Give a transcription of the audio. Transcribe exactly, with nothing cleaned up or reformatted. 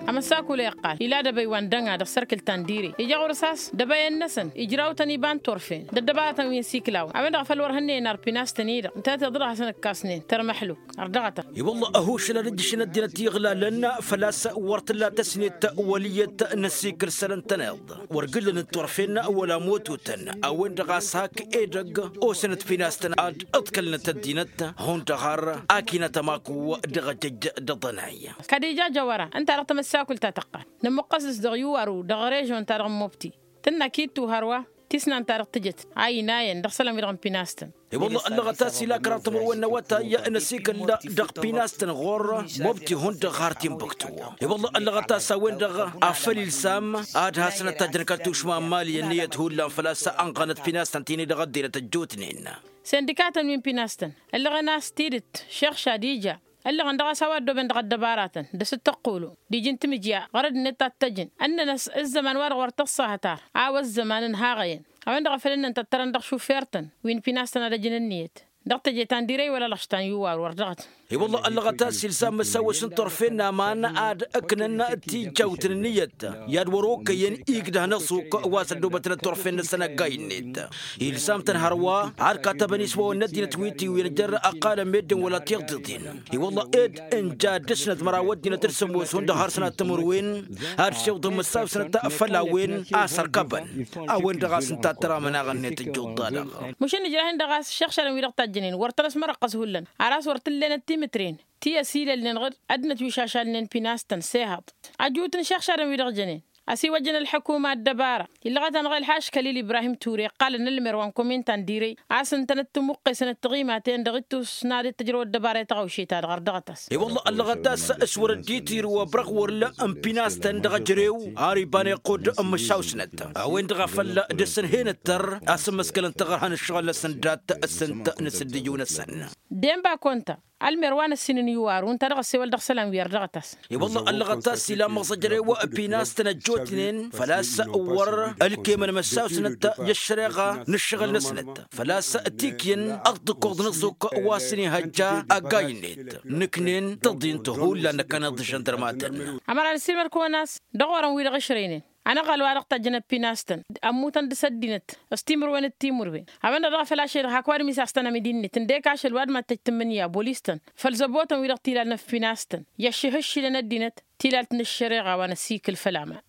Amăssakulăy ăqqal ila dăbăy wa n-dăŋ-a dăɣ-sărkǝl ta n-dire ija ɣur-s a-s dăbăyăn-năsăn ijraw-tăn iba n-turfen d-ăddăbarătăn wi n-siklawăn a-wen-dăɣ a făl wăr hănnăyăn ar pinastăn-i-dăɣ ǝntănăt iḍrăh a-s ănăkkasnen tărmăḥluk. Ărdăɣătăn. I-wălla ăhušăl ad-ǝjjǝšăn ăddinăt iɣlalăn făl-a-s wăr t-tǝlla tăsnet wăl' iyyăt n-asikǝl isălan-tăn-iḍ wăr gǝllăn n-turfen wăla motutăn a-wen-dăɣ a-s hak edăgg osănăt pinastăn ad-ǝḍkălnăt ăddinăt hundăɣ har akinăt ămaku dăɣ-ejăjj d-aḍănay. Kădija jăwăra ǝnta-dăɣ tamăssakult ta tăqqan nǝmmuqqăs dăɣ-s dăɣ-iwar-u dăɣ-režon-ta-dăɣ n-mobti tǝnna kittu hărwa tisnan-ta-dăɣ tǝjăt a inayăn dăɣ-isălan-wi-dăɣ n-pinastăn. I-wălla ăllăɣăt a-s ila kăraḍ timǝrwen n-awătay n-asikǝl dăɣ-pinastăn ɣur-mobti hundăɣ har timbuktu. I-wălla ăllăɣăt a-s a-wen-dăɣ a făl ilsam ad-hasăn-ătajjăn kăl-tušma n-mali ănniyăt hullan făl-a-s ănɣănăt pinastăn ti-ni-dăɣ ăddinăt ăjjootnen. Sindikatăn wi n-pinastăn ǝllăɣăn a-s tidǝt šeɣ šadija ǝllăɣăn dăɣ-a-s a-wa ăddooben dăɣ-ăddăbaratăn d-asǝttăqqulu d-iji n-timǝjja ɣur-ăddinăt ta t-tăjjǝn ǝnnăn ăzzăman-wa-dăɣ wăr tăṣṣahăt ar a-wa ăzzăman ǝnhaɣăyăn. A-wen-dăɣ a făl ǝnnăn tăttărăn dăɣ-išufer-tăn wi n-pinastăn ad-ăjǝn ǝnniyăt dăɣ-teje ta n-direy wăla lăɣš ta n-iwar wăr dăɣ-t. I-wălla ăllăɣăt a-s ilsam măsawăs n-turfen n-aman ad-ǝknăn tijjawt n-ǝnniyăt i-ad-wăr-okăyăn igdăh n-ăṣuk wa s-ăddoobătnăt turfen-năsăn ăggay-net. Ilsam-tăn hărwa ad-katăbăn iswawăn n-ăddinăt wi tiwǝyăn jer-ăqqalăn meddǝn wăla tiḍeḍen. I-wălla ed ǝnja d-dăr-snăt măraw ăddinăt d-sămoos hundăɣ har sănat timǝrwen ad-siwḍăn măssawsnăt făll-a-wen a sărkăbăn. A-wen-dăɣ a-s ǝnta a tăramăn aɣănnet ǝjjuḍ-ta-dăɣ. Măšan ǝjrahen-dăɣ a-s šăɣšadăn wi-dăɣ tajjănen wăr tăn-ăsmărăqqăs hullan ar a-s wăr t-ǝllenăt timǝtren ti ăsilălnen ɣǝd ăddinăt wi šašalnen pinastăn sehăḍ. Ăjut n-išăɣšadăn wi-dăɣ jănen ăsiwăjjăn ălḥukuma ăddăbara illăɣăt-anăɣ ălḥaškălil ibrahim ture ǝqqalăn ălmer wa n-komin ta n-direy a-s ǝntănăt tǝmuqqesăn d-tiɣimaten dăɣ-ittus n-ad-dd-tǝjrăw ăddăbara i-taɣăwše-ta-dăɣ ărdăɣăt-as. I-wălla ăllăɣăt a-s s-wăr-ădditǝyr wa bărăɣwăr n-pinastăn dăɣ-ejărew ar iba n-iqqud n-măšawsnăt a-wen-dăɣ a făl dăr-săn henăttăr a-s ǝmmăskălăn taɣărha n-ǝššăɣǝl-năsăn dat-sǝnt n-asǝddǝju-năsăn. Denba konta ălmer wa n-ǝssin n-iwaru ǝnta dăɣ-ăssewăl dăɣ-isălan wi ărdăɣăt-as. I-wălla ăllăɣăt a-s ila măẓăjrăy pinastăn ăjjootnen făl-a-s wăr ǝlkemăn măssawsnăt i-ăššăreɣa n-ǝššăɣǝl-năsnăt făl-a-s tikyǝn ăṭṭǝkkoḍ n-aẓuk wa s-inihăjja ăggay-net. Nǝknen tăḍint hullan năkkăneḍ d-žăndărmatăn. Ămăra n-ăssiilmăd-kăwăn a-s dăɣ-orăn wi-dăɣ ǝšrăynen ănăɣal wa dăɣ-tajjăn ăppinastăn ămmutăn dăɣ-s ăddinăt s-timǝrwen d-timǝrwen. A-wen-dăɣ dăɣ-a făl ašăl hak ăwadǝm isaɣ s-tăn amidi-net ǝndek ašăl ăwadǝm ad-tăj tǝmmǝnǝya bolis-tăn făll-zăbotăn wi-dăɣ tilalnăt pinastăn i-ăššihǝššilăn ăddinăt tilalt n-ăššăreɣa wa n-ăsikǝl făll-aman.